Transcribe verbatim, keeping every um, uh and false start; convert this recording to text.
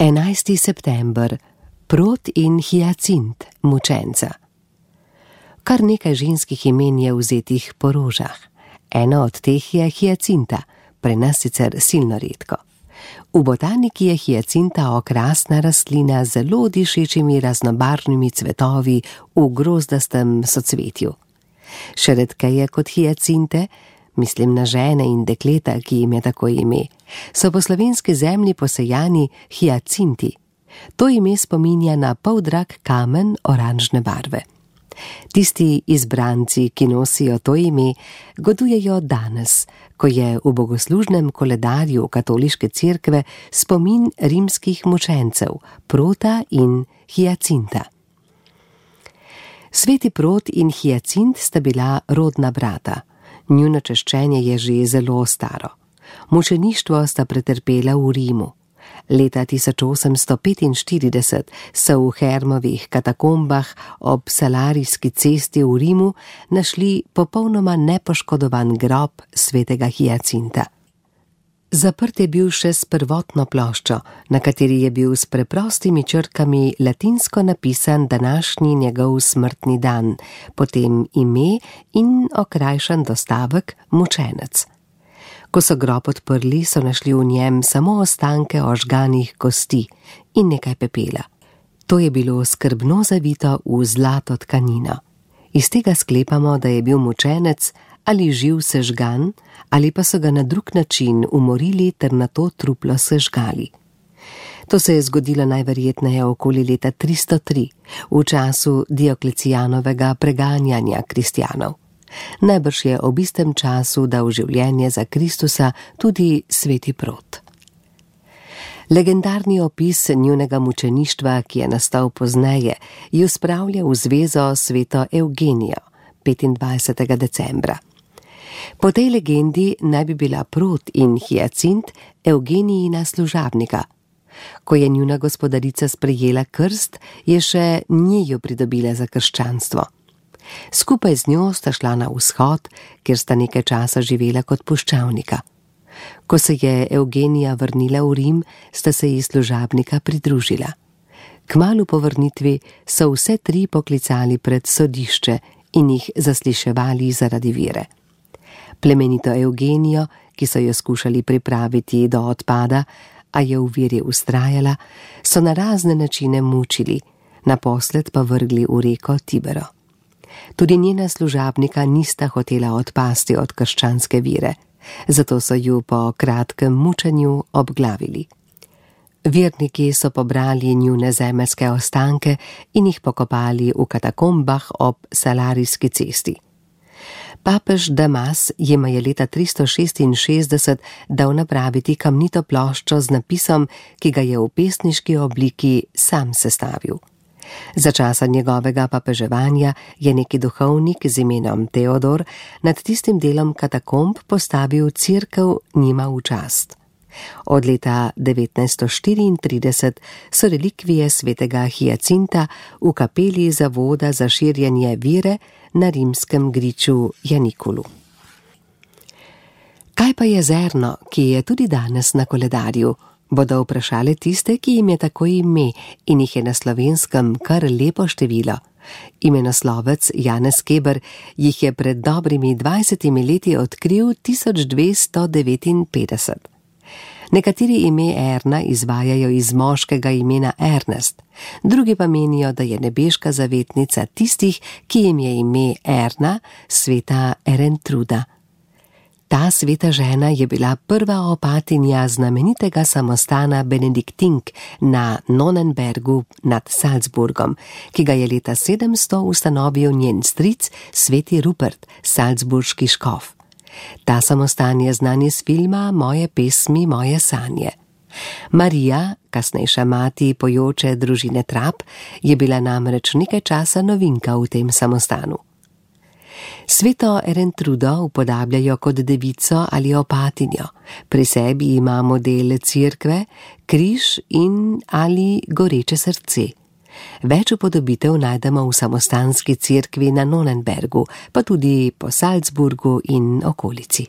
enajsti september. Prot in Hiacint, mučenca. Kar nekaj ženskih imen je vzetih po rožah. Ena od teh je Hiacinta, pri nas sicer silno redko. V botaniki je hiacinta okrasna rastlina z zelo dišečimi raznobarvnimi cvetovi v grozdastem socvetju. Še redkeje kot hiacinte, mislim na žene in dekleta, ki jim je tako ime, so po slovenski zemlji posejani hiacinti. To ime spominja na poldrag kamen oranžne barve. Tisti izbranci, ki nosijo to ime, godujejo danes, ko je v bogoslužnem koledarju katoliške cerkve spomin rimskih mučencev, Prota in Hiacinta. Sveti Prot in Hiacint sta bila rodna brata. Njuno češčenje je že zelo staro. Mučeništvo sta pretrpela v Rimu. Leta tisoč osemsto petinštirideset so v Hermovih katakombah ob Salarijski cesti v Rimu našli popolnoma nepoškodovan grob svetega Hiacinta. Zaprt je bil še s prvotno ploščo, na kateri je bil s preprostimi črkami latinsko napisan današnji njegov smrtni dan, potem ime in okrajšan dostavek mučenec. Ko so grob odprli, so našli v njem samo ostanke ožganih kosti in nekaj pepela. To je bilo skrbno zavito v zlato tkanino. Iz tega sklepamo, da je bil mučenec ali živ sežgan, ali pa so ga na drug način umorili ter na to truplo sežgali. To se je zgodilo najverjetneje okoli leta tristo tri, v času Dioklecijanovega preganjanja kristjanov. Najbrž je ob istem času dal življenje za Kristusa tudi sveti Prot. Legendarni opis njunega mučeništva, ki je nastal pozneje, ju spravlja v zvezo sveto Evgenijo, petindvajsetega decembra. Po tej legendi naj bi bila Prot in Hiacint Evgenijina služabnika. Ko je njuna gospodarica sprejela krst, je še njiju pridobila za krščanstvo. Skupaj z njo sta šla na vzhod, kjer sta nekaj časa živela kot puščavnika. Ko se je Evgenija vrnila v Rim, sta se ji služabnika pridružila. Kmalu po vrnitvi so vse tri poklicali pred sodišče in jih zasliševali zaradi vere. Plemenito Evgenijo, ki so jo skušali pripraviti do odpada, a je v veri vztrajala, so na razne načine mučili, naposled pa vrgli v reko Tibero. Tudi njena služabnika nista hotela odpasti od krščanske vere, zato so ju po kratkem mučenju obglavili. Verniki so pobrali njune zemeljske ostanke in jih pokopali v katakombah ob Salarijski cesti. Papež Damas jima je leta tristo šestinšestdeset dal napraviti kamnito ploščo z napisom, ki ga je v pesniški obliki sam sestavil. Za časa njegovega papeževanja je neki duhovnik z imenom Teodor nad tistim delom katakomb postavil cerkev njima v čast. Od leta devetnajststo štiriintrideset so relikvije svetega Hiacinta v kapeli Zavoda za širjenje vere na rimskem griču Janikulu. Kaj pa je zrno, ki je tudi danes na koledarju? Bodo vprašali tiste, ki jim je tako ime in jih je na Slovenskem kar lepo število. Imenoslovec Janez Keber jih je pred dobrimi dvajsetimi leti odkril tisoč dvesto devetinpetdeset. Nekateri ime Erna izvajajo iz moškega imena Ernest, drugi pa menijo, da je nebeška zavetnica tistih, ki jim je ime Erna, sveta Erentruda. Ta sveta žena je bila prva opatinja znamenitega samostana Benediktink na Nonnenbergu nad Salzburgom, ki ga je leta sedemsto ustanovil njen stric sveti Rupert, salzburški škof. Ta samostan je znan iz filma Moje pesmi, moje sanje. Marija, kasnejša mati pojoče družine Trap, je bila namreč nekaj časa novinka v tem samostanu. Sveto Erentrudo upodabljajo kot devico ali opatinjo. Pri sebi ima model cerkve, križ in ali goreče srce. Več upodobitev najdemo v samostanski cerkvi na Nonnenbergu, pa tudi po Salzburgu in okolici.